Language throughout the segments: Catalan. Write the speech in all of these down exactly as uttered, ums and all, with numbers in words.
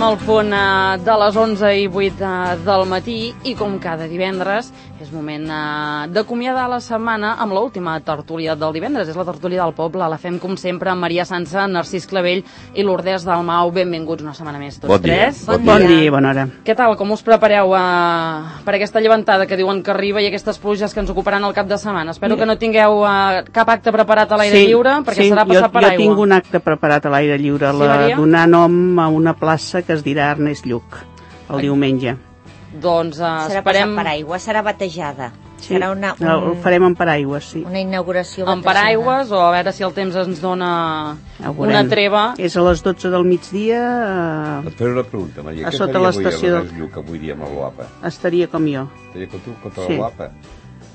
Arribem al punt eh, de les onze i vuit eh, del matí i com cada divendres és moment eh, d'acomiadar la setmana amb l'última tertúlia del divendres. És la tertúlia del poble, la fem com sempre amb Maria Sança, Narcís Clavell i Lourdes Dalmau. Benvinguts una setmana més tots bon dia, tres. Bon, bon dia. dia i bona hora. Què tal, com us prepareu eh, per aquesta llevantada que diuen que arriba i aquestes pluges que ens ocuparan el cap de setmana? Espero que no tingueu eh, cap acte preparat a l'aire sí, lliure, perquè sí, serà passar jo, per aigua. Jo tinc un acte preparat a l'aire lliure, sí, la, donar nom a una plaça que es dirà Ernest Lluch, el Ai. diumenge. Doncs uh, serà esperem... per aigua, serà batejada. Sí, serà una, un... el farem en paraigües, sí. Una inauguració en paraigües, o a veure si el temps ens dona una treva. És a les dotze del migdia... Uh, Et faré una pregunta, Maria. A sota l'estació del... Lluch avui dia amb el Guapa? Estaria com jo. Estaria com tu, contra sí. el Guapa?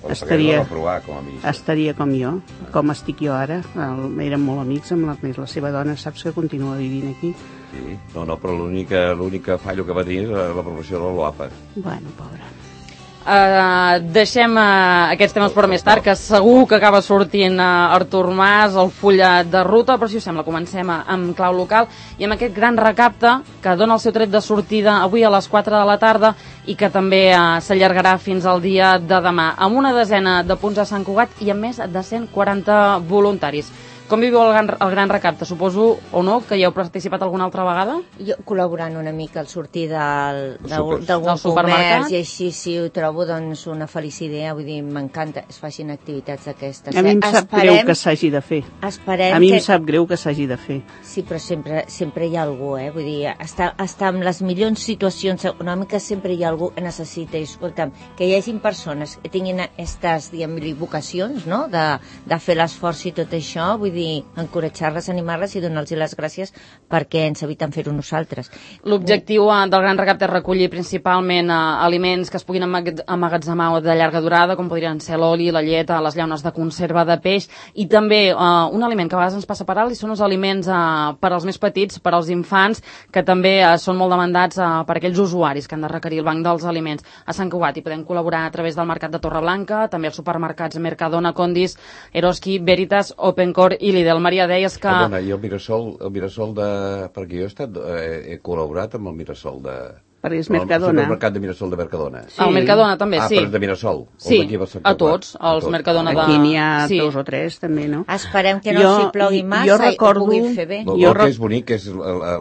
Estaria, provar, com a estaria com jo, com estic jo ara. El, érem molt amics amb la, la seva dona, saps que continua vivint aquí. Sí, no, no, però l'única fallo que va tenir és l'aprovació del Guapa. Bueno, pobra. Uh, deixem uh, aquests temes per més tard, que segur que acaba sortint uh, Artur Mas, el full de ruta, però si us sembla comencem amb clau local i amb aquest gran recapte que dona el seu tret de sortida avui a les quatre de la tarda i que també uh, s'allargarà fins al dia de demà, amb una desena de punts a Sant Cugat i amb més de cent quaranta voluntaris. Com viviu el gran, el gran recapte? Suposo, o no, que hi heu participat alguna altra vegada? Jo col·laborant una mica al sortir d'algun comerç i així sí ho trobo doncs una feliç idea, vull dir, m'encanta es facin activitats d'aquestes. A mi em sap esperem, greu que s'hagi de fer. Esperem a mi que... em sap greu que s'hagi de fer. Sí, però sempre, sempre hi ha algú, eh? Vull dir, està, està en les millors situacions econòmiques sempre hi ha algú que necessita, i escolta'm, que hi hagin persones que tinguin aquestes, diguem-li, vocacions, no?, de, de fer l'esforç i tot això, vull dir, encoratjar-les, animar-les i donar-los les gràcies perquè ens eviten fer-ho nosaltres. L'objectiu eh, del gran recapte és recollir principalment eh, aliments que es puguin emmagatzemar de llarga durada, com podrien ser l'oli, la llet, les llaunes de conserva de peix, i també eh, un aliment que a vegades ens passa per alt i són els aliments eh, per als més petits, per als infants, que també eh, són molt demandats eh, per aquells usuaris que han de requerir el banc dels aliments. A Sant Cugat hi podem col·laborar a través del Mercat de Torreblanca, també els supermercats Mercadona, Condis, Eroski, Veritas, Opencore i Lidl. Maria, deies que... Perdona, i el Mirasol, el Mirasol de... Perquè jo he, estat, eh, he col·laborat amb el Mirasol de... Perquè és Mercadona. El supermercat de Mirasol de Mercadona. Sí. El Mercadona també, ah, sí. Ah, però és de Mirasol. Sí, a tots, els Mercadona de... Aquí n'hi ha sí. dos o tres, també, no? Esperem que no jo, s'hi plogui massa jo recordo... i ho puguin fer bé. El, el que és bonic és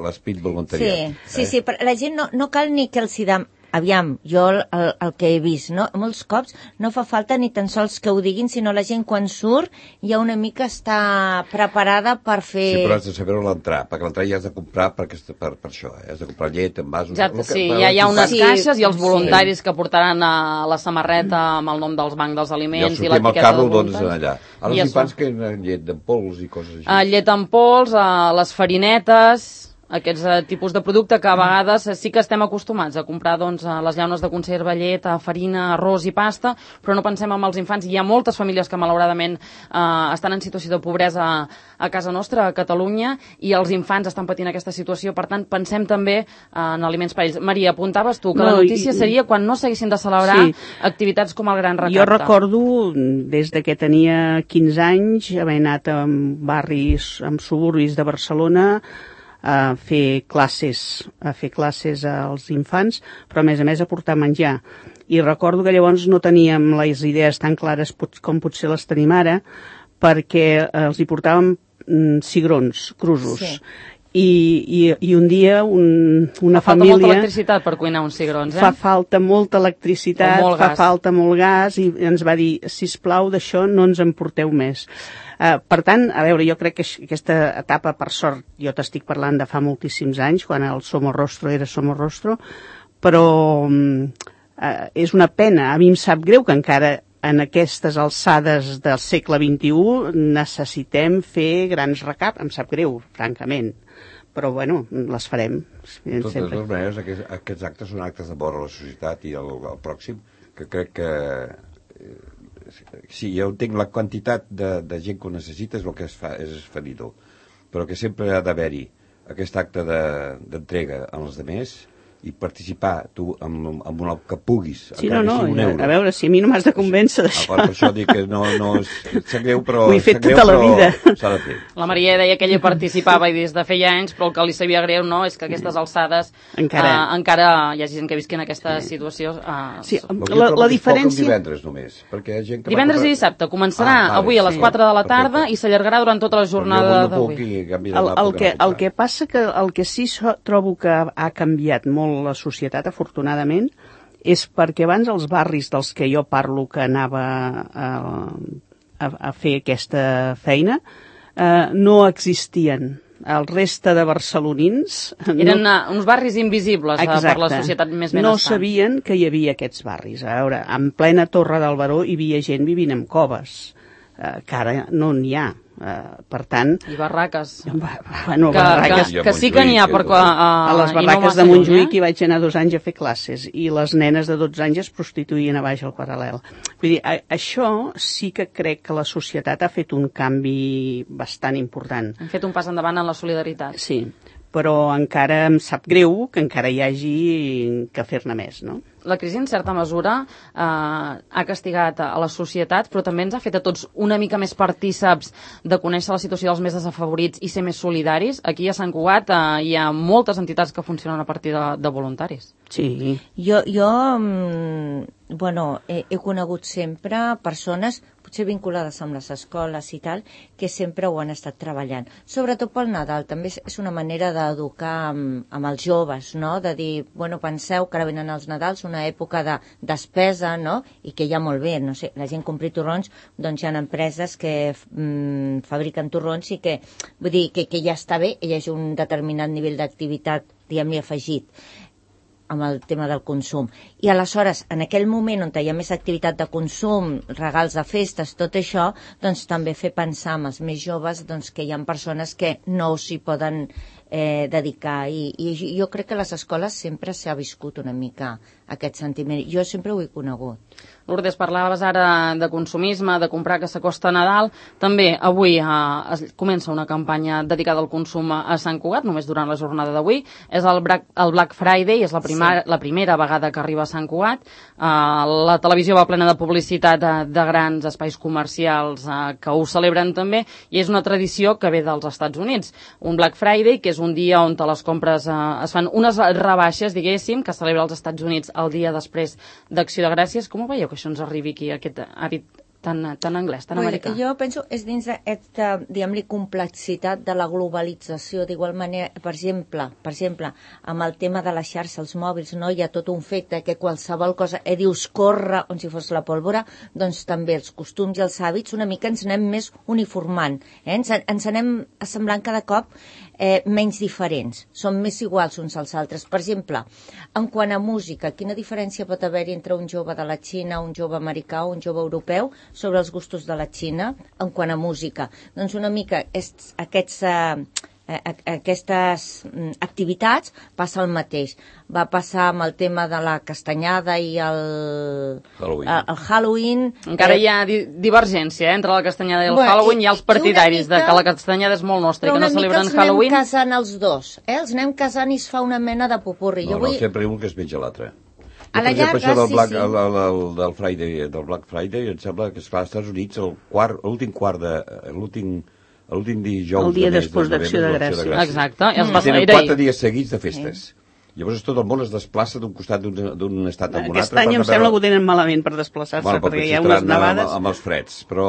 l'esprit voluntariat. Sí, sí, eh? sí, però la gent no, no cal ni que els hi dam... Aviam, jo el, el, el que he vist, no? Molts cops no fa falta ni tan sols que ho diguin, sinó la gent quan surt ja una mica està preparada per fer... Sí, però has de saber on l'entrar, perquè l'entrar ja has de comprar per, per, per això, eh? Has de comprar llet, envasos... Ja, sí, ja hi ha unes sí, caixes i els voluntaris sí. que portaran a la samarreta amb el nom dels bancs dels aliments i l'etiqueta carro, de voluntaris. Doncs, allà. A les infants que llet en pols i coses així. Uh, llet en pols, uh, les farinetes... aquests uh, tipus de producte que a vegades sí que estem acostumats a comprar doncs, les llaunes de conserva, llet, farina, arròs i pasta, però no pensem en els infants. Hi ha moltes famílies que malauradament uh, estan en situació de pobresa a, a casa nostra, a Catalunya, i els infants estan patint aquesta situació, per tant pensem també uh, en aliments per ells. Maria, apuntaves tu que no, la notícia i, seria quan no s'haguessin de celebrar sí. activitats com el Gran Recapte. Jo recordo, des de que tenia quinze anys, haver anat a barris, en suburbis de Barcelona, a fer classes, a fer classes als infants, però a més a més a portar menjar. I recordo que llavors no teníem les idees tan clares com potser les tenim ara, perquè els hi portàvem mm, cigrons, crusos. Sí. I, i, i un dia un, una fa família... Fa falta molta electricitat per cuinar uns cigrons, eh? Fa falta molta electricitat, fa gas. falta molt gas, i ens va dir, sisplau, d'això no ens en porteu més. Uh, per tant, a veure, jo crec que aquesta etapa, per sort, jo t'estic parlant de fa moltíssims anys, quan el Somorrostro era Somorrostro, però um, uh, és una pena. A mi em sap greu que encara en aquestes alçades del segle vint-i-u necessitem fer grans recaps. Em sap greu, francament. Però, bueno, les farem. De totes sempre. les maneres, aquests, aquests actes són actes de vora a la societat i al, al pròxim, que crec que... Eh, sí, jo entenc la quantitat de, de gent que ho necessita és el que es fa, és esferidor, però que sempre ha d'haver-hi aquest acte d'entrega de, als demés i participar tu amb, amb el que puguis, sí, encara no, no, que sigui un euro. A veure, si a mi no m'has de convèncer d'això. Per això dic que no, no és, sap greu, però... Ho he fet greu, tota la vida. S'ha de fer. La Maria deia que ella participava i des de feia anys, però el que li sabia greu no és que aquestes alçades encara, uh, encara hi hagi gent que visqui en aquesta sí. situació. Uh, sí, la, la diferència... divendres només, perquè hi ha gent que divendres va... i dissabte. Començarà ah, vale, avui a les sí. quatre de la tarda Perfecte. I s'allargarà durant tota la jornada d'avui. El, el, que, el que passa que el que sí so, trobo que ha canviat molt la societat, afortunadament, és perquè abans els barris dels que jo parlo que anava a, a, a fer aquesta feina eh, no existien. El reste de barcelonins... Eren no, uns barris invisibles Exacte. Per la societat més benestant. No sabien que hi havia aquests barris. A veure, en plena Torre del Baró hi havia gent vivint en coves, eh, que ara no n'hi ha. Uh, per tant... I barraques. Bueno, que, barraques que, que sí que n'hi ha, però... Uh, a les barraques no de Montjuïc hi vaig anar dos anys a fer classes i les nenes de dotze anys es prostituïen a baix al paral·lel. Vull dir, a, això sí que crec que la societat ha fet un canvi bastant important. Han fet un pas endavant en la solidaritat. Sí, però encara em sap greu que encara hi hagi que fer-ne més, no? La crisi, en certa mesura, eh, ha castigat a la societat, però també ens ha fet a tots una mica més partíceps de conèixer la situació dels més desafavorits i ser més solidaris. Aquí a Sant Cugat eh, hi ha moltes entitats que funcionen a partir de, de voluntaris. Sí. Jo, jo bueno, he, he conegut sempre persones, potser vinculades amb les escoles i tal, que sempre ho han estat treballant. Sobretot pel Nadal, també és una manera d'educar amb, amb els joves, no? De dir, bueno, penseu que ara venen els Nadals, una època de despesa, no? I que ja molt bé, no sé, la gent compri torrons, doncs hi ha empreses que mm, fabriquen torrons i que, vull dir, que, que ja està bé, hi hagi un determinat nivell d'activitat, diguem-li, afegit amb el tema del consum. I aleshores, en aquell moment on hi ha més activitat de consum, regals de festes, tot això, doncs també fer pensar amb els més joves doncs, que hi ha persones que no s'hi poden eh, dedicar. I, I jo crec que a les escoles sempre s'ha viscut una mica aquest sentiment. Jo sempre ho he conegut. Lourdes, parlaves ara de consumisme, de comprar que s'acosta a Nadal. També avui eh, es comença una campanya dedicada al consum a Sant Cugat, només durant la jornada d'avui. És el Black, el Black Friday, és la, prima, sí. la primera vegada que arriba a Sant Cugat. Eh, la televisió va plena de publicitat de, de grans espais comercials eh, que ho celebren també, i és una tradició que ve dels Estats Units. Un Black Friday, que és un dia on les compres eh, es fan unes rebaixes, diguéssim, que celebra als Estats Units el dia després d'Acció de Gràcies. Com ho veieu que això ens arribi aquí, aquest hàbit tan, tan anglès, tan americà? Jo penso és dins d'aquesta, diguem-li, complexitat de la globalització. D'igual manera, per exemple, per exemple, amb el tema de la xarxa, els mòbils, no? Hi ha tot un fet que qualsevol cosa, eh, dius, corre, com si fos la pólvora, doncs també els costums i els hàbits una mica ens anem més uniformant, eh? ens, ens anem assemblant cada cop eh, menys diferents, són més iguals uns als altres. Per exemple, en quant a música, quina diferència pot haver-hi entre un jove de la Xina, un jove americà o un jove europeu sobre els gustos de la Xina en quant a música? Doncs una mica és, aquests, eh, aquestes activitats passa el mateix. Va passar amb el tema de la castanyada i el Halloween. El, el Halloween Encara eh, hi ha di divergència eh, entre la castanyada i el bueno, Halloween. Hi ha els partidaris mica, de que la castanyada és molt nostra i que no celebren Halloween. Però una mica els anem casant els dos. Eh? Els anem casant i es fa una mena de popurri. No, jo no, vull... sempre un que es menja l'altre. A la llarga, això del Black, sí, sí. El, el, el, del, Friday, del Black Friday, em sembla que, esclar, als Estats Units, l'últim quart de... l'últim l'últim dijous el dia de després d'Acció de Gràcies. Exacte. Mm. Mm. Tenen quatre dies seguits de festes. Sí. Llavors tot el món es desplaça d'un costat d'un estat a un altre. Aquest any em sembla que ho tenen malament per desplaçar-se, bueno, perquè hi ha unes nevades. Amb, amb els freds, però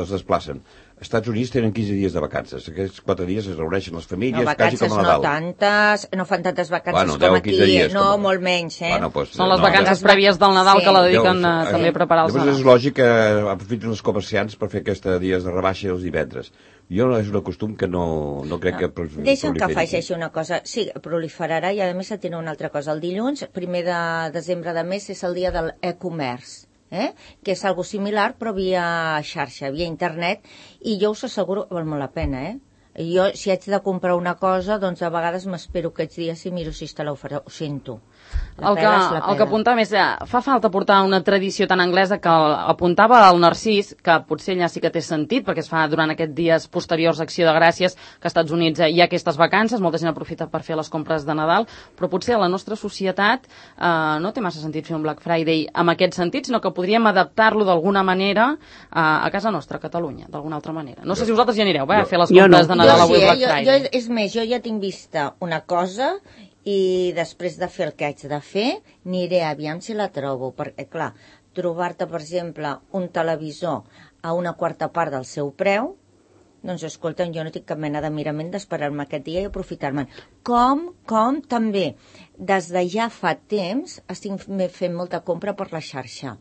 es desplacen. Els Estats Units tenen quinze dies de vacances. Aquests quatre dies es reuneixen les famílies, no, quasi com a Nadal. No tantes, no fan tantes vacances bueno, com aquí. Dies, no, com... molt menys, eh? Bueno, pues, Són les no, vacances ja... prèvies del Nadal sí. que la dediquen Llavors, a, també a preparar els Nadals. Nadals. És lògic que aprofiten els comerciants per fer aquests dies de rebaixa els divendres. Jo és un costum que no, no crec no. que... Deixa'm que afegeixi una cosa. Sí, proliferarà i a més tindrà una altra cosa. El dilluns, primer de desembre de mes, és el dia de l'e-comerç. Eh? Que és algo similar però via xarxa, via internet, i jo us asseguro que val molt la pena, eh? Jo, si haig de comprar una cosa, doncs a vegades m'espero aquests dies i miro si està l'oferta, ho sento. El que, el que apuntava més, fa falta portar una tradició tan anglesa que apuntava al Narcís, que potser allà sí que té sentit, perquè es fa durant aquests dies posteriors a Acció de Gràcies, que als Estats Units hi ha aquestes vacances, molta gent aprofita per fer les compres de Nadal, però potser a la nostra societat eh, no té massa sentit fer un Black Friday en aquest sentit, sinó que podríem adaptar-lo d'alguna manera a, a casa nostra, a Catalunya, d'alguna altra manera. No sé si vosaltres hi anireu, va, a fer les compres de Nadal avui Black Friday. Jo, és més, jo ja tinc vista una cosa i després de fer el que haig de fer aniré aviam si la trobo, perquè clar, trobar-te per exemple un televisor a una quarta part del seu preu, doncs escolta'm, jo no tinc cap mena de mirament d'esperar-me aquest dia i aprofitar-me'n. Com, com també des de ja fa temps estic fent molta compra per la xarxa.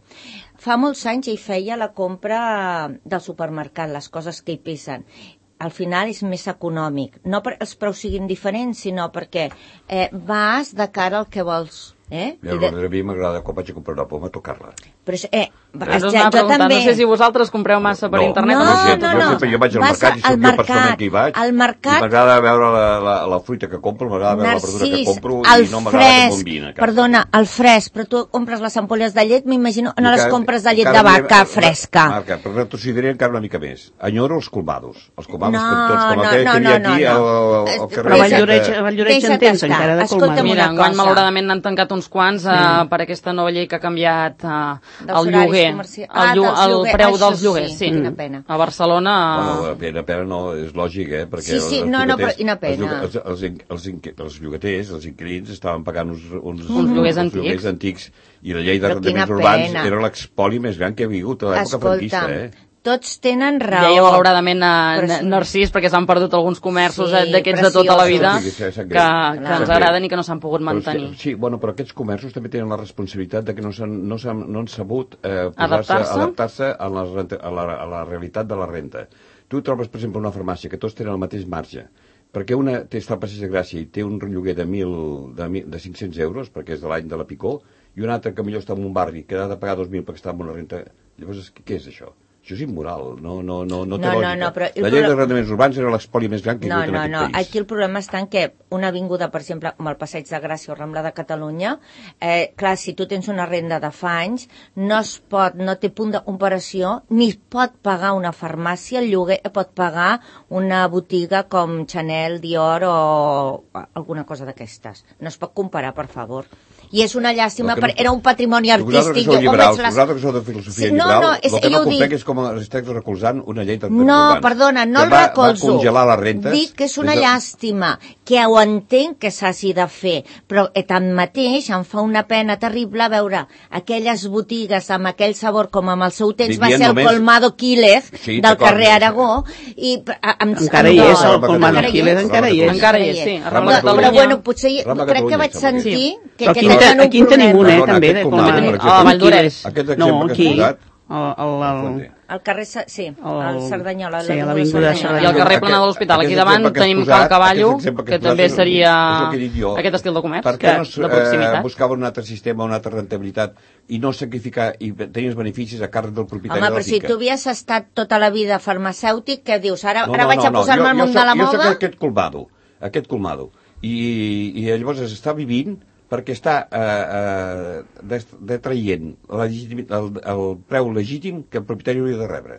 Fa molts anys hi feia la compra del supermercat, les coses que hi pesen. Al final és més econòmic. No perquè els preus siguin diferents, sinó perquè eh, vas de cara al que vols. Eh? Ja, de... A mi m'agrada, quan vaig a comprar una poma, tocar-la. Però, eh, Però és una jo també... No sé si vosaltres compreu massa per no, internet. No, no, no, no, no. Jo, sempre, jo vaig al mercat i soc jo persona que hi vaig. Al mercat... I m'agrada veure la, la, la fruita que compro, m'agrada veure Narcís, la verdura que compro i no m'agrada que bombina. Perdona, el fresc, però tu compres les ampolles de llet, m'imagino, no les compres de llet de vaca fresca. Marca, però t'ho diré encara una mica més. Enyoro els colmados. Els colmados no, tots, com no, aquell no, que hi havia no, aquí no, al, al carrer. Però Valldoreix en tens encara de colmados. Mira, enguany malauradament n'han tancat uns quants per aquesta nova llei que ha canviat el lloguer. El preu dels lloguers, sí. Quina pena. A Barcelona... Bueno, pena, pena no, és lògic, eh? Perquè sí, sí, no, no, però quina pena. Els, els, els, els llogaters, els inquilins, estaven pagant uns, uns, uns lloguers antics. lloguers antics i la llei d'arrendaments urbans era l'expoli més gran que ha vingut a l'època franquista, eh? Tots tenen raó. Deia malauradament a Narcís, perquè s'han perdut alguns comerços sí, d'aquests de tota la vida sí, que, que, que ens agraden i que no s'han pogut mantenir. Però, sí, bueno, però aquests comerços també tenen la responsabilitat de que no, han, no, han, no han sabut eh, adaptar-se adaptar a, la, a, la, a la realitat de la renta. Tu trobes, per exemple, una farmàcia que tots tenen el mateix marge, perquè una té està al Passeig de Gràcia i té un lloguer de, mil, de, de cinc-cents euros, perquè és de l'any de la Picó, i un altre que millor està en un barri que ha de pagar dos mil perquè està en una renta. Llavors, què és això? Això és immoral, no, no, no, no té no, lògica. No, no, però la llei d'arrendaments urbans era l'espoli més gran que hi ha no, en no, aquest no. país. Aquí el problema està en que una avinguda, per exemple, com el Passeig de Gràcia o Rambla de Catalunya, eh, clar, si tu tens una renda de fa anys, no es pot, no té punt de comparació, ni pot pagar una farmàcia, el lloguer pot pagar una botiga com Chanel, Dior o alguna cosa d'aquestes. No es pot comparar, per favor. I és una llàstima, no, era un patrimoni artístic. Vosaltres que sou liberals, les... vosaltres que sou de filosofia sí, no, liberal, no, és, el que no comprenc dic... és com esteu recolzant una llei de no, perdona, no el va, recolzo. Va congelar les rentes. Dic que és una de... llàstima, que ho entenc que s'hagi de fer, però eh, tanmateix em fa una pena terrible veure aquelles botigues amb aquell sabor com amb el seu temps Vivien va ser el només... Colmado Quílez sí, del carrer Aragó. I, em, encara hi és, el Colmado Quílez encara hi és. Encara hi és, sí. Però bueno, potser crec que vaig sentir que aquest aquí en tenim un, eh, també, de com a Valldoreix. Aquest exemple que has posat... Al carrer, sí, al Cerdanyola. Sí, a l'avinguda Cerdanyola. I al carrer Plana de l'Hospital. Aquí davant tenim Cal Cavallo, que també seria aquest estil de comerç, de proximitat. Buscava un altre sistema, una altra rentabilitat, i no sacrificar i tenir els beneficis a càrrec del propietari de la finca. Home, però si tu havies estat tota la vida farmacèutic, què dius? Ara vaig a posar-me al món de la moda? Jo soc aquest colmado, aquest colmado. I llavors està vivint perquè està eh, eh, detraient el, el preu legítim que el propietari hauria de rebre.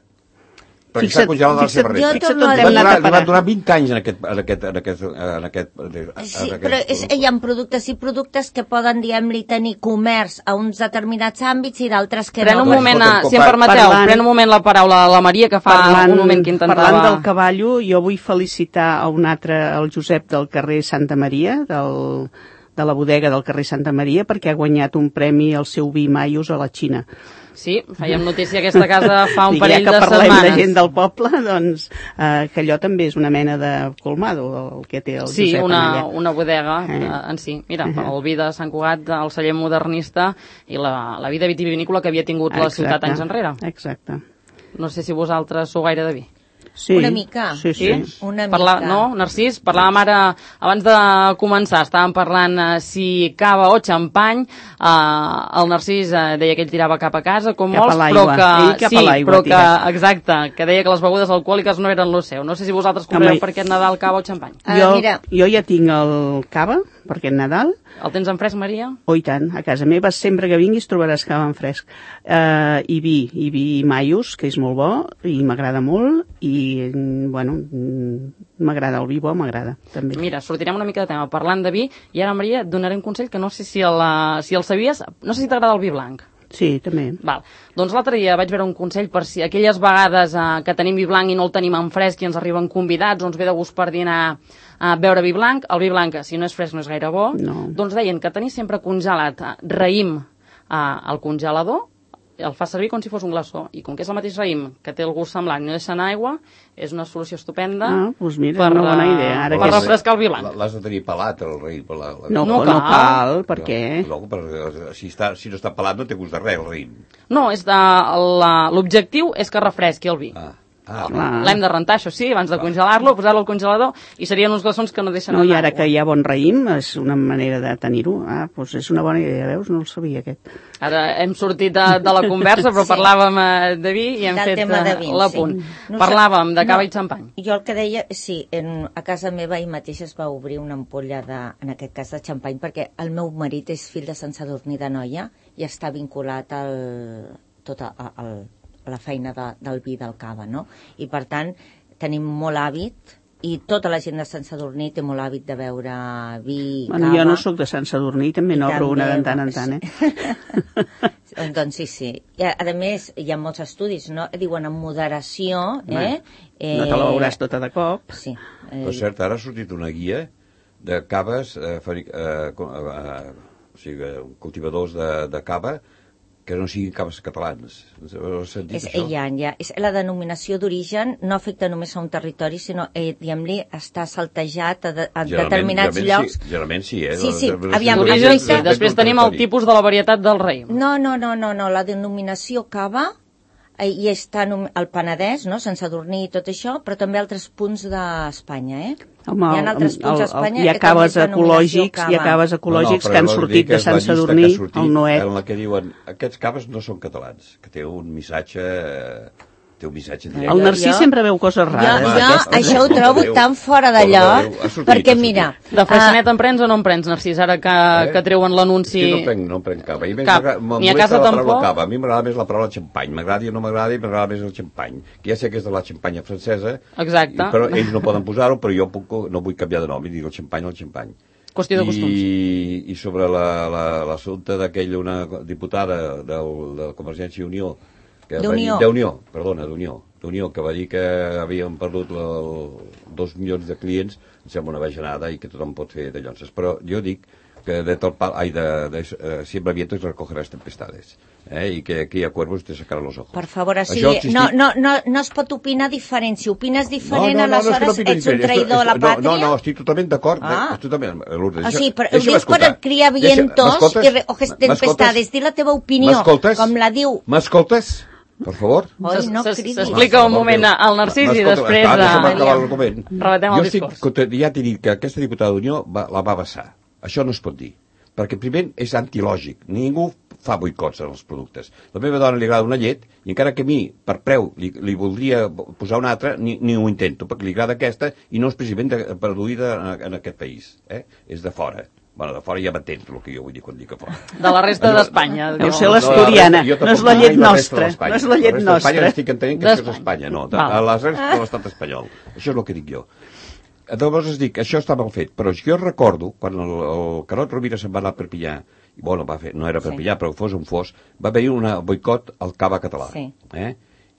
Perquè s'ha congelat la seva renta. Li van donar vint anys en aquest... En aquest, en aquest, en aquest, en sí, aquest però és, hi ha productes i productes que poden, diguem-li, tenir comerç a uns determinats àmbits i d'altres que pren no. Un moment, a, si em permeteu, parlant, pren un moment la paraula a la Maria, que fa parlant, un moment que intentava... Parlant del cavallo, jo vull felicitar a un altre, el Josep del carrer Santa Maria, del... de la bodega del carrer Santa Maria, perquè ha guanyat un premi al seu vi Maios a la Xina. Sí, fèiem notícia aquesta casa fa un parell de setmanes. Ja que parlem de gent del poble, doncs eh, que allò també és una mena de colmado, el que té el sí, Josep una, allà. una bodega eh. en si. Mira, uh -huh. el vi de Sant Cugat, el celler modernista i la, la vida vitivinícola que havia tingut Exacte. la ciutat anys enrere. Exacte. No sé si vosaltres sou gaire de vi. Sí, una mica. Sí, sí. sí? Una Parla, mica. No, Narcís? Parlàvem ara, abans de començar, estàvem parlant uh, si cava o xampany. Uh, el Narcís uh, deia que ell tirava cap a casa, com cap molts, però que... Ell cap sí, a l'aigua, però que, exacte, que deia que les begudes alcohòliques no eren lo seu. No sé si vosaltres compreu per aquest Nadal cava o xampany. Uh, jo, mira. jo ja tinc el cava, per aquest Nadal. El tens en fresc, Maria? Oh, i tant. A casa meva sempre que vinguis trobaràs cava en fresc. Uh, I vi, i vi maius, que és molt bo, i m'agrada molt, i, bueno, m'agrada el vi bo, m'agrada, també. Mira, sortirem una mica de tema parlant de vi, i ara, Maria, et donaré un consell que no sé si el, si el sabies, no sé si t'agrada el vi blanc. Sí, també. Val. Doncs l'altre dia vaig veure un consell per si aquelles vegades eh, que tenim vi blanc i no el tenim en fresc i ens arriben convidats o ens ve de gust per dinar a beure vi blanc, el vi blanc, si no és fresc no és gaire bo, no. Doncs deien que tenir sempre congelat eh, raïm eh, al congelador, el fa servir com si fos un glaçó, i com que és el mateix raïm que té el gust semblant i no deixa en aigua, és una solució estupenda ah, doncs mira, per, una bona idea. Ara per que refrescar el vi blanc. L'has de tenir pelat, el raïm. La, la... No, no, no cal, cal per no, què? No, per, si, està, si no està pelat no té gust de res, el raïm. No, és de, l'objectiu és que refresqui el vi. Ah. Ah, l'hem de rentar, això sí, abans de congelar-lo, posar-lo al congelador, i serien uns glaçons que no deixen no, anar. I ara que hi ha bon raïm, és una manera de tenir-ho. Ah, doncs és una bona idea, veus? No el sabia, aquest. Ara hem sortit de, de la conversa, però sí. parlàvem eh, de vi i hem Del fet vins, l'apunt. Sí. Parlàvem de cava no, i xampany. Jo el que deia, sí, en, a casa meva ahir mateix es va obrir una ampolla, de, en aquest cas de xampany, perquè el meu marit és fill de Sant Sadurní d'Anoia i està vinculat al, tot a, al la feina de, del vi del cava, no? I per tant tenim molt hàbit, i tota la gent de Sant Sadurní té molt hàbit de beure vi, bueno, cava. Jo no sóc de Sant Sadurní, també n'obro una de tant en tant, eh? Doncs sí, sí. I a, a més, hi ha molts estudis, no? Diuen en moderació, eh? eh no te la veuràs tota de cop. Sí. Eh... Per cert, ara ha sortit una guia de caves, eh, fabric, eh, eh, o sigui, cultivadors de, de cava, que no siguin caves catalans. Has sentit és, això? Ja, ja. És, la denominació d'origen no afecta només a un territori, sinó, eh, diguem-li, està saltejat a, de, a determinats generalment llocs. Sí, generalment sí, eh? Sí, sí, aviam, d'origen, sí. Després tenim el tipus de la varietat del raïm. No, no, no, no, no. La denominació cava eh, i està al Penedès, no? Sant Sadurní i tot això, però també altres punts d'Espanya, eh? Home, hi ha altres punts d'Espanya. Hi ha caves ecològics, hi ha caves ecològics no, no, que han sortit de Sant Sadurní, el Noet. En la que diuen, aquests caves no són catalans, que té un missatge... té un missatge directe. El Narcís sempre veu coses rares. Jo, jo això ho trobo tan fora de lloc, perquè mira... De freixenet en prens o no en prens, Narcís, ara que, eh? que treuen l'anunci... Sí, no prenc, no prenc cava. I Cap. Ni a casa tampoc? Cava. A mi m'agrada més la paraula xampany. M'agrada i no m'agrada i m'agrada més el xampany. Que ja sé que és de la xampanya francesa. Exacte. Però ells no poden posar-ho, però jo puc, no vull canviar de nom i dic el xampany o el xampany. Qüestió de costums. I, i sobre l'assumpte d'aquella una diputada del, de Convergència i Unió, d'Unió, d'Unió, perdona, d'Unió, d'Unió, que va dir que havien perdut la, el, dos milions de clients, em sembla una bajanada i que tothom pot fer de llonces. Però jo dic que de tot pal, ai, de, de, de uh, siempre vientos recogerás tempestades, eh? I que aquí a cuervos te sacarán los ojos. Per favor, o sigui, existit... no, no, no, no es pot opinar diferent. Si opines diferent, no, no, no, aleshores no, no, no ets un traïdor a la pàtria? No, no, estic totalment d'acord. Ah. Totalment, Lourdes. O sigui, però ho dius per criar vientos i recoger tempestades. Di la teva opinió, com la diu... M'escoltes? Per favor. S'explica un moment al Narcís i després rebatem el discurs. Ja t'he dit que aquesta diputada d'Unió la va vessar. Això no es pot dir, perquè primer és antilògic. Ningú fa boicots en els productes. La meva dona li agrada una llet i encara que a mi, per preu, li, li voldria posar una altra, ni, ni ho intento, perquè li agrada aquesta i no és precisament de, produïda en, en aquest país. Eh? És de fora. Bueno, de fora ja m'entens el que jo vull dir quan dic que fora. De la resta d'Espanya. Deu ser l'asturiana, no és la llet nostra. No és la llet nostra. La resta d'Espanya estic entenent que això és Espanya, no. A la resta de l'estat espanyol. Això és el que dic jo. Llavors es dic, això està mal fet, però jo recordo, quan el, el Carod Rovira se'n va anar a Perpinyà, i bueno, va fer, no era Perpinyà, sí. Però fos on fos, va haver-hi un boicot al cava català. Sí. Eh?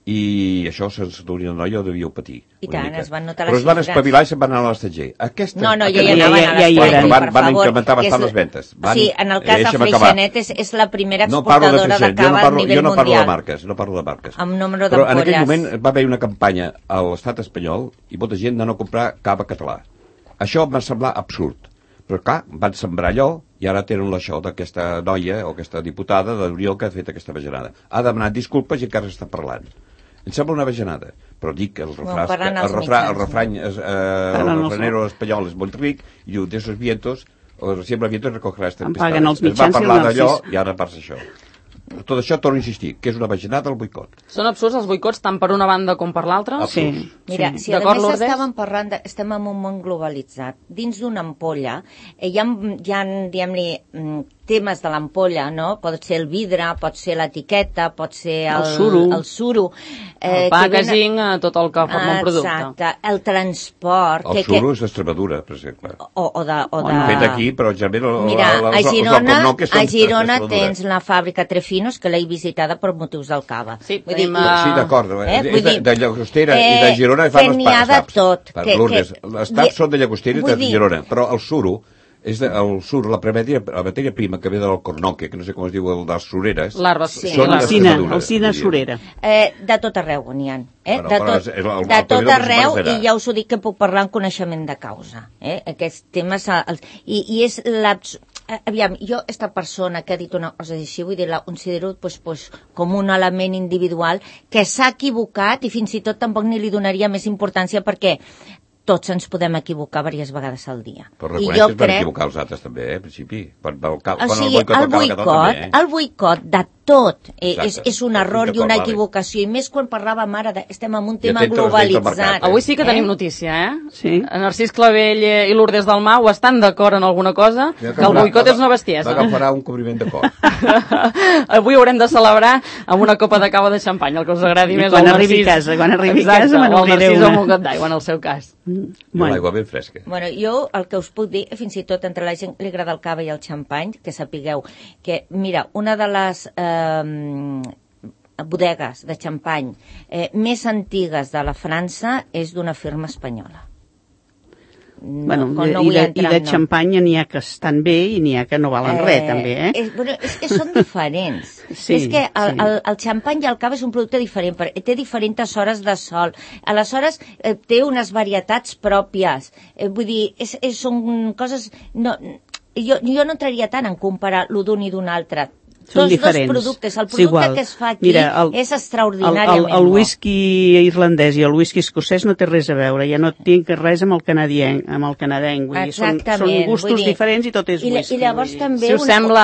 I això sense d'Unió de Noia ho devíeu patir. I tant, es van notar les xifres. Però es van espavilar i se'n van anar a l'estatger. Aquesta... No, no, ja hi anaven a l'estatger, per favor. Van, van incrementar bastant les ventes. Van, sí, en el cas de Freixenet és, és la primera exportadora no de, de cava no parlo, a nivell mundial. Jo no parlo mundial. de marques, no parlo de marques. Amb número però d'ampolles. En aquell moment va haver una campanya a l'estat espanyol i molta gent de no comprar cava català. Això em va semblar absurd. Però clar, van sembrar allò i ara tenen l'això d'aquesta noia o aquesta diputada de l'Unió que ha fet aquesta bajanada. Ha demanat disculpes i encara està parlant. Em sembla una bajanada, però dic que el refrà, bueno, el, refrà, el refrany es, eh, el refranero espanyol és molt ric i diu, de esos vientos, o siempre vientos recogeràs tempestades. Es va parlar d'allò i ara passa això. tot això torno a insistir, que és una bajanada el boicot. Són absurds els boicots tant per una banda com per l'altra? Sí. Mira, sí. si a més estàvem parlant, de, estem en un món globalitzat, dins d'una ampolla, eh, hi ha, hi ha diguem-li, temes de l'ampolla, no? Pot ser el vidre, pot ser l'etiqueta, pot ser el, el suro, el, suro eh, el packaging, ven... tot el que forma un producte. Exacte, el transport... El que, suro que... és d'Extremadura, per exemple. O, o de... O de... Fet aquí, però generalment... Mira, el, el, a Girona, el, el, a Girona tens la fàbrica Trefinos, que l'he visitada per motius del cava. Sí, vull dir, uh... sí d'acord. Eh? És de, de Llagostera eh, i de Girona fan els taps. Tot. Per que, Lourdes. Que... Els taps són de Llagostera i de dir... Girona, però el suro... és de, el sur, la, matèria, la matèria prima que ve del cornoque, que no sé com es diu, el de les sureres, L'arba, sí. són l'alcina, l'alcina surera. Eh, de tot arreu n'hi ha. Eh? Bueno, de tot, el, el, de tot arreu, i ja us ho dic que puc parlar en coneixement de causa. Eh? Aquests temes... Els, i, I és l'abs... Aviam, jo, esta persona que ha dit una cosa així, vull dir, la considero pues, pues, com un element individual que s'ha equivocat i fins i tot tampoc ni li donaria més importància perquè tots ens podem equivocar diverses vegades al dia. Però reconeix que es van equivocar els altres també, eh, en principi. Quan, el, quan o sigui, el boicot, el boicot, també, eh? el boicot de tot eh, és, és un error i una equivocació, i més quan parlàvem ara, de, estem en un tema globalitzat. Mercat, eh? Avui sí que eh? tenim notícia, eh? Sí. Narcís Clavell i Lourdes Dalmau estan d'acord en alguna cosa, que, que el boicot és una bestiesa. Agafarà un cobriment de cor. Avui haurem de celebrar amb una copa de cava de xampany, el que us agradi I més. Quan arribi a casa, quan arribi a casa me n'obriré una. O el Narcís amb un got d'aigua, en el seu cas. Mm. Bueno. L'aigua ben fresca. Bueno, jo el que us puc dir, fins i tot entre la gent li agrada el cava i el xampany, que sapigueu que, mira, una de les eh, bodegues de xampany eh, més antigues de la França és d'una firma espanyola. No, bueno, no i, de, entrar, i de no. xampany n'hi ha que estan bé i n'hi ha que no valen eh, res, també, eh? És, bueno, és que són diferents. Sí, és que el, sí. el, el xampany i el cava és un producte diferent, perquè té diferents hores de sol. Aleshores, eh, té unes varietats pròpies. Eh, vull dir, és, és, són coses... No, jo, jo no entraria tant en comparar l'un d'un i d'un altre. Són Tots diferents. dos productes. El producte igual. que es fa aquí Mira, el, és extraordinàriament el, el, el whisky irlandès i el whisky escocès no té res a veure, ja no tinc res amb el canadienc, amb el canadenc, vull dir, són, són gustos dir, diferents i tot és i, whisky. I llavors també... Si us una... sembla,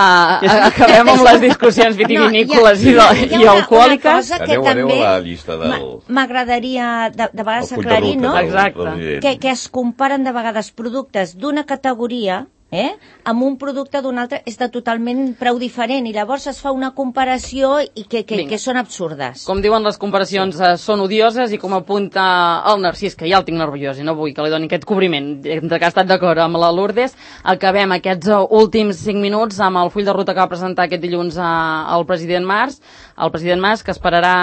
acabem amb les discussions vitivinícoles no, ha, i, i alcohòliques. Aneu, aneu a la llista del... M'agradaria de, de vegades aclarir, no? Exacte. Que, que es comparen de vegades productes d'una categoria eh? amb un producte d'un altre és de totalment prou diferent i llavors es fa una comparació i que, que, que són absurdes. Com diuen les comparacions sí. eh, són odioses i com apunta el Narcís, que ja el tinc nerviós i no vull que li doni aquest cobriment, entre que ha estat d'acord amb la Lourdes, acabem aquests últims cinc minuts amb el full de ruta que va presentar aquest dilluns a, al president Mas, el president Mas que esperarà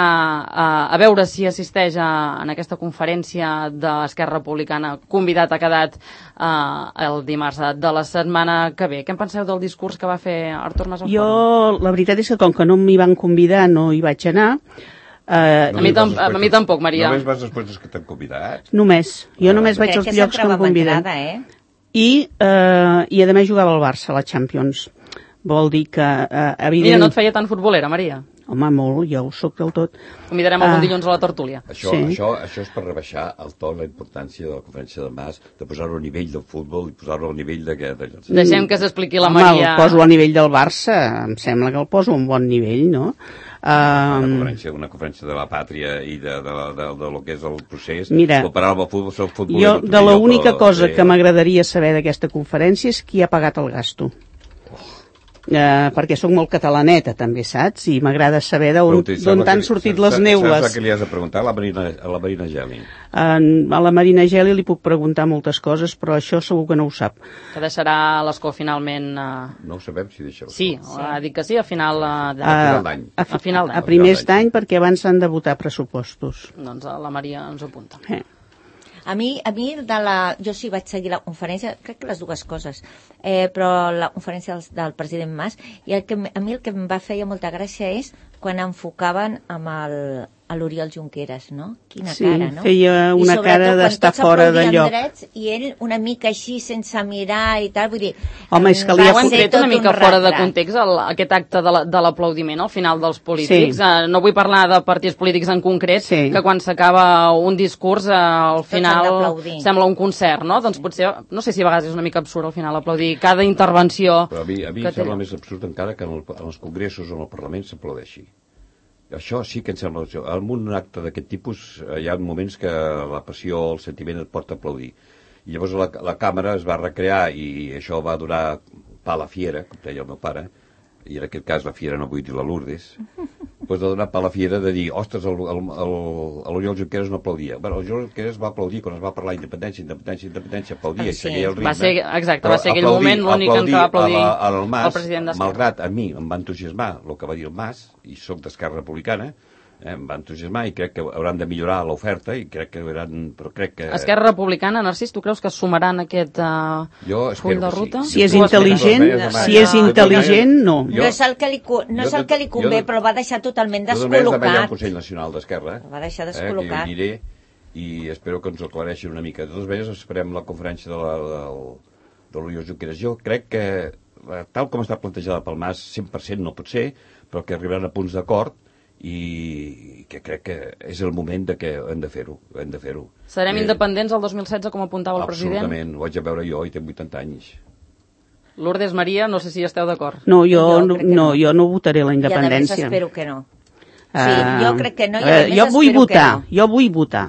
a, a veure si assisteix a, en aquesta conferència de l'Esquerra Republicana, convidat ha quedat eh, el dimarts de la setmana que ve. Què en penseu del discurs que va fer Artur Mas al Jo, Fòrum? la veritat és que com que no m'hi van convidar, no hi vaig anar. Eh, no a, mi tam a mi tampoc, Maria. Només vas després dels que t'han convidat? Només. Jo no, només vaig als llocs que em conviden. Eh? I, eh, I a més jugava al Barça, a la Champions. Vol dir que... Eh, evident... Mira, no et feia tan futbolera, Maria? Home, molt, jo ho soc del tot. Convidarem algun uh, dilluns a la tertúlia. Això, sí. això, això és per rebaixar el to, la importància de la conferència de Mas, de posar-ho a nivell del futbol i posar-ho a nivell de... de... Deixem que s'expliqui la Home, Maria... el poso a nivell del Barça, em sembla que el poso a un bon nivell, no? Uh, una, conferència, una conferència de la pàtria i de, de, de, de, de lo que és el procés. Mira, comparar amb el futbol, el futbol jo, de l'única cosa que m'agradaria saber d'aquesta conferència és qui ha pagat el gasto. Uh, perquè sóc molt catalaneta també, saps? I m'agrada saber d'on t'han sortit que, les neules. Saps que li has de preguntar a la Marina, a la Marina Geli? Uh, a la Marina Geli li puc preguntar moltes coses, però això segur que no ho sap. Que deixarà l'escó finalment... Uh... No ho sabem si deixa l'escó. Sí, sí, ha dit que sí, a final uh, de... uh, d'any. A, a, final a primers d'any, perquè abans s'han de votar pressupostos. Doncs la Maria ens ho apunta. Eh. A mi, a mi de la, jo sí vaig seguir la conferència, crec que les dues coses, eh, però la conferència del, del president Mas, i el que, a mi el que em va fer molta gràcia és quan enfocaven amb el, a l'Oriol Junqueras, no? Quina sí, cara, no? feia una cara d'estar fora de lloc. Drets, i ell una mica així, sense mirar i tal, vull dir... Home, és que li ha tret una mica un fora de context el, aquest acte de l'aplaudiment al final dels polítics. Sí. Uh, no vull parlar de partits polítics en concret, sí. que quan s'acaba un discurs, uh, al final sembla un concert, no? Doncs potser, no sé si a vegades és una mica absurd al final aplaudir cada intervenció. Però a mi, a mi em sembla més absurd encara que en, el, en els congressos o en el Parlament s'aplaudeixi. Això sí que em sembla... En un acte d'aquest tipus hi ha moments que la passió, el sentiment et pot aplaudir. I llavors la, la càmera es va recrear i això va donar pa a la fiera, com deia el meu pare, i en aquest cas la fiera no vull dir la Lourdes, doncs de donar pa a la fiera de dir, ostres, l'Oriol Junqueras no aplaudia. Bueno, l'Oriol Junqueras va aplaudir quan es va parlar independència, independència, independència, aplaudia, sí. i seguia el ritme. Va ser, exacte, va ser aquell moment l'únic en què va aplaudir el president d'Esquerra. Malgrat a mi em va entusiasmar el que va dir el Mas, i soc d'Esquerra Republicana, eh, em va entusiasmar i crec que hauran de millorar l'oferta i crec que hauran... Però crec que... Esquerra Republicana, Narcís, tu creus que sumaran aquest uh, full de ruta? Sí. Si és intel·ligent, si és intel·ligent, no. No és el que li, no és el que li convé, però el va deixar totalment descol·locat. Jo també hi ha el Consell Nacional d'Esquerra. El va deixar descol·locat. Eh, que diré, i espero que ens ho aclareixin una mica. De totes maneres, esperem la conferència de l'Oriol Junqueras. Jo crec que, tal com està plantejada pel Mas, cent per cent no pot ser, però que arribaran a punts d'acord i que crec que és el moment de que hem de fer-ho. Hem de fer-ho. Serem eh, independents el dos mil setze, com apuntava el president? Absolutament, ho vaig a veure jo i tinc vuitanta anys. Lourdes, Maria, no sé si esteu d'acord. No, jo no, no, no, jo no votaré la independència. I a més espero que no. Sí, uh, jo crec que no, i a més jo vull espero votar, que no. Jo vull votar.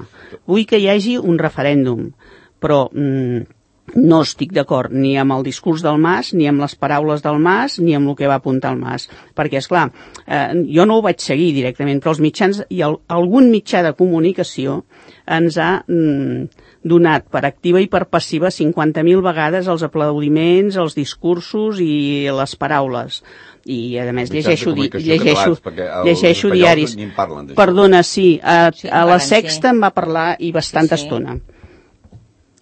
Vull que hi hagi un referèndum, però... Mm, no estic d'acord ni amb el discurs del Mas, ni amb les paraules del Mas, ni amb el que va apuntar el Mas. Perquè, esclar, eh, jo no ho vaig seguir directament, però els mitjans, i el, algun mitjà de comunicació ens ha mm, donat per activa i per passiva cinquanta mil vegades els aplaudiments, els discursos i les paraules. I, a més, llegeixo, di llegeixo, catalans, llegeixo diaris. Perdona, sí, a, sí, a la Sexta em va parlar i bastanta sí, sí. estona.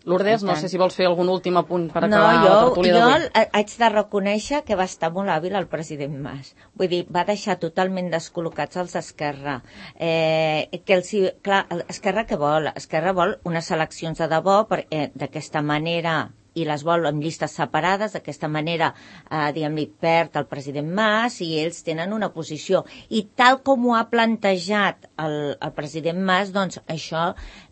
Lourdes, no sé si vols fer algun últim apunt per acabar no, jo, la tertúlia d'avui. Jo haig de reconèixer que va estar molt hàbil el president Mas. Vull dir, va deixar totalment descol·locats els Esquerra. Eh, que els, clar, Esquerra què vol? Esquerra vol unes eleccions de debò, eh, d'aquesta manera... i les vol en llistes separades, d'aquesta manera, eh, diguem-li, perd el president Mas i ells tenen una posició. I tal com ho ha plantejat el, el president Mas, doncs això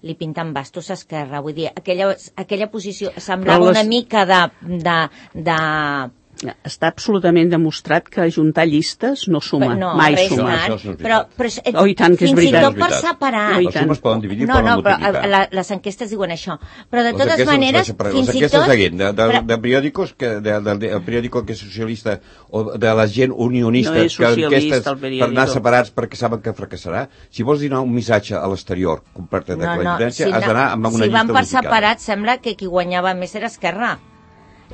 li pinten bastos a Esquerra. Vull dir, aquella, aquella posició semblava les... una mica de... de, de està absolutament demostrat que ajuntar llistes no suma, no, mai suma. No, no però, però oh, i tant que és fins veritat. i tot per separar. No, els sumes poden dividir, no, poden no, multiplicar. Però la, les enquestes diuen això. Però de les totes maneres, les, fins les i tot... De, de, de, de periòdicos, que, de, de, de, el periòdico que és socialista, o de la gent unionista, no és socialista, que per anar separats perquè saben que fracassarà, si vols donar un missatge a l'exterior, comparte de no, la no, independència, si has d'anar amb una si llista unificada. Si van per separats, sembla que qui guanyava més era Esquerra.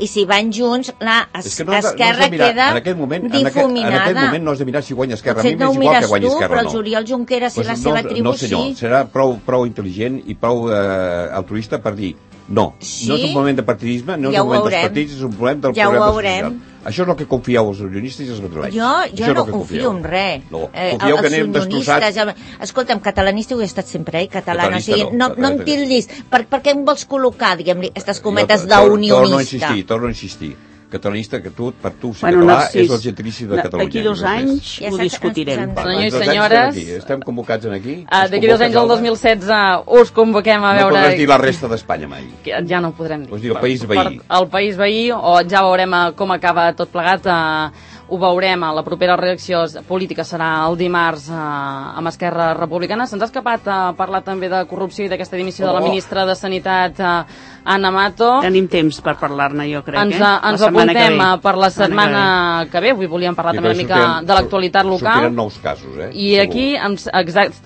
I si van junts, la es, es no Esquerra no mirar, queda en aquest moment, difuminada. En aquest, en aquest moment no has de mirar si guanya Esquerra. Potser a mi m'és igual que guanyi tu, Esquerra però no. el Oriol Junqueras pues i la no, seva tribu no, senyor, sí. Serà prou, prou intel·ligent i prou eh, altruista per dir no. Sí? No és un moment de partidisme, no ja és un moment veurem. dels partits, és un problema del ja problema social. Això és el que confieu els unionistes i els madrilenys. Jo, jo no confio en res. No, confieu eh, que anem destrossats. El... Escolta'm, catalanista ho he estat sempre, eh? Catalana. O sigui, no, no, no em tillis. Per, per què em vols col·locar, diguem-li, aquestes cometes d'unionista? Torno a insistir, torno a insistir. Catalanista, que tu, per tu, ser bueno, català, Narcís, és el gentilici de Catalunya. D'aquí dos anys ja ho discutirem. Senyors i senyores... Estem convocats aquí. Uh, D'aquí dos anys, el dos mil setze, us convoquem a veure... No podràs dir la resta d'Espanya mai. Ja no ho podrem dir. Us dir el país veí. El país veí, o ja veurem com acaba tot plegat. Uh, ho veurem, a la propera reacció política serà el dimarts uh, amb Esquerra Republicana. Se'ns ha escapat a uh, parlar també de corrupció i d'aquesta dimissió oh. de la ministra de Sanitat, uh, Ana Mato. Tenim temps per parlar-ne, jo crec. Ens, eh? ens apuntem per la setmana que ve. Avui volíem parlar també una mica de l'actualitat local. Sortiran nous casos, eh? I aquí, ens, exact,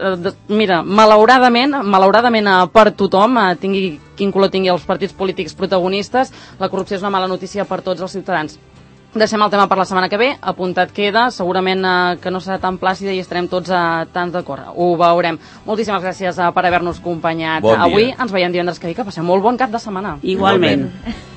mira, malauradament, malauradament per tothom, tingui, quin color tingui els partits polítics protagonistes, la corrupció és una mala notícia per tots els ciutadans. Deixem el tema per la setmana que ve, apuntat queda, segurament eh, que no serà tan plàcida i estarem tots eh, tan d'acord. Ho veurem. Moltíssimes gràcies eh, per haver-nos acompanyat. Bon Avui ens veiem divendres que ve, que passem molt bon cap de setmana. Igualment. Igualment.